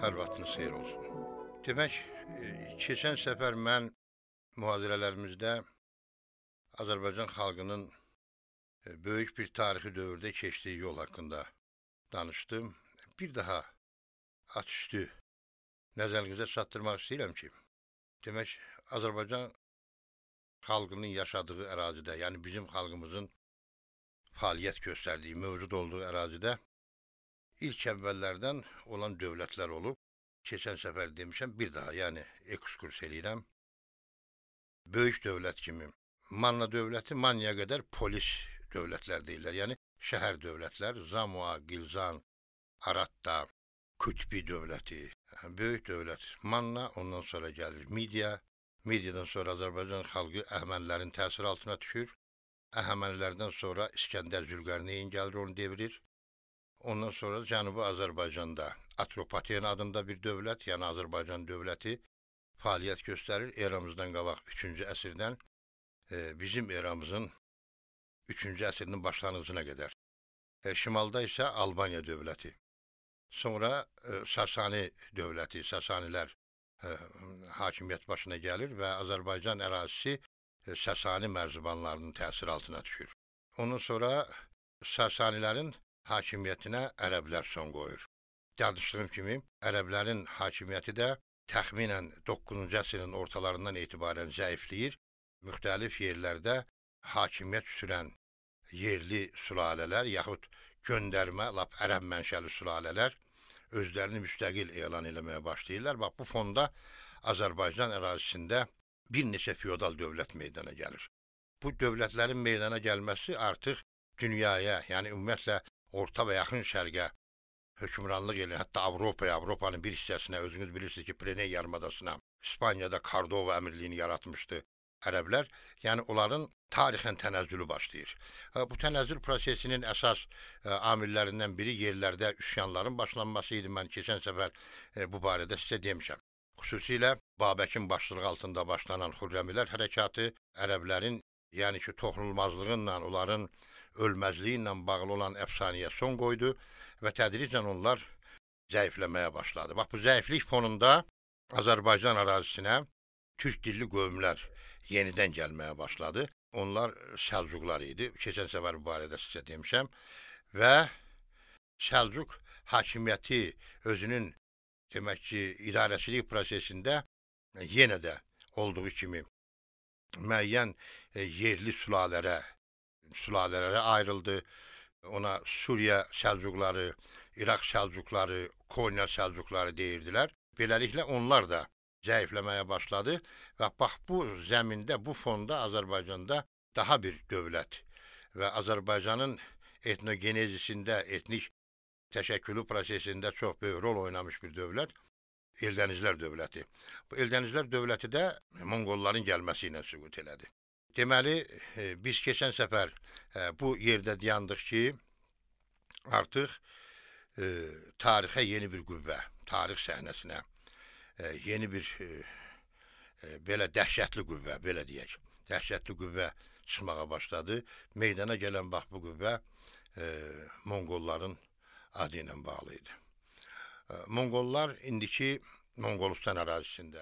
Hər vaxtınız xeyir olsun. Demək, keçən səfər mən mühazirələrimizdə Azərbaycan xalqının böyük bir tarixi dövrdə keçdiyi yol haqqında danışdım. Bir daha atüstü nəzərinizə çatdırmaq istəyirəm ki, demək, Azərbaycan xalqının yaşadığı ərazidə, yəni bizim xalqımızın fəaliyyət göstərdiyi, mövcud olduğu ərazidə ilk əvvəllərdən olan dövlətlər olub. Keçən səfər demişəm, bir daha, yəni ekskurs eləyirəm. Böyük dövlət kimi, Manna dövləti, Mannaya qədər polis dövlətlər deyirlər. Yəni şəhər dövlətlər, Zamua, Gilzan, Aratta, Kütbi dövləti, böyük dövlət. Manna, ondan sonra gəlir Midiya. Midiyadan sonra Azərbaycan xalqı Əhəmənilərin təsiri altına düşür. Əhəmənilərdən sonra İskəndər Zülqərneyn gəlir, onu devirir. Ondan sonra Cənubi Azərbaycanda Atropaten adında bir dövlət, yəni Azərbaycan dövləti fəaliyyət göstərir. Eramızdan qabaq 3-cü əsrdən bizim eramızın 3-cü əsrinin başlanğıcına qədər. Şimalda isə Albaniya dövləti. Sonra Sasani dövləti, Sasanilər hakimiyyət başına gəlir və Azərbaycan ərazisi Sasani mərzibanlarının təsiri altına düşür. Ondan sonra Sasanilərin hakimiyyətinə ərəblər son qoyur. Danışdığım kimi, ərəblərin hakimiyyəti də təxminən 9-cu əsrin ortalarından etibarən zəifləyir. Müxtəlif yerlərdə hakimiyyət sürən yerli sülalələr, yaxud göndərmə, lap ərəb mənşəli sülalələr özlərini müstəqil elan eləməyə başlayırlar. Bax, bu fonda Azərbaycan ərazisində bir neçə feodal dövlət meydana gəlir. Bu dövlətlərin meydana gəlməsi artıq dünyaya, yəni ümumiyyətlə Orta və Yaxın Şərqə hökmranlıq eləyən, hətta Avropaya, Avropanın bir hissəsinə, özünüz bilirsiniz ki, Pireneya yarımadasına, İspaniyada Kordova əmirliyini yaratmışdı ərəblər. Yəni, onların tarixən tənəzzülü başlayır. Bu tənəzzül prosesinin əsas amillərindən biri yerlərdə üsyanların başlanması idi. Mən keçən səfər bu barədə sizə demişəm. Xüsusilə Babəkin başçılığı altında başlanan Xürrəmilər hərəkatı ərəblərin, yəni ki, toxunulmazlığınla, onların ölməzliyi ilə bağlı olan əfsanəyə son qoydu və tədricən onlar zəifləməyə başladı. Bax, bu zəiflik fonunda Azərbaycan ərazisinə türk dilli qövmlər yenidən gəlməyə başladı. Onlar Səlcuqlar idi. Keçən səfər bu barədə sizə demişəm. Və Səlcuq hakimiyyəti özünün, demək ki, idarəçilik prosesində yenə də olduğu kimi müəyyən yerli sülalələrə ayrıldı. Ona Suriya Səlcuqları, İraq Səlcuqları, Konya Səlcuqları deyirdilər. Beləliklə onlar da zəifləməyə başladı və bax, bu zəmində, bu fonda Azərbaycanda daha bir dövlət və Azərbaycanın etnogenezisində, etnik təşəkkülü prosesində çox böyük rol oynamış bir dövlət Eldənizlər dövləti. Bu Eldənizlər dövləti də Monqolların gəlməsi ilə süqut elədi. Deməli, biz keçən səfər bu yerdə dayandıq ki, artıq tarixə yeni bir qüvvə, tarix səhnəsinə yeni bir belə dəhşətli qüvvə, belə deyək, dəhşətli qüvvə çıxmağa başladı. Meydana gələn bax, bu qüvvə Monqolların adı ilə bağlı idi. Monqollar indiki Monqolistan ərazisində,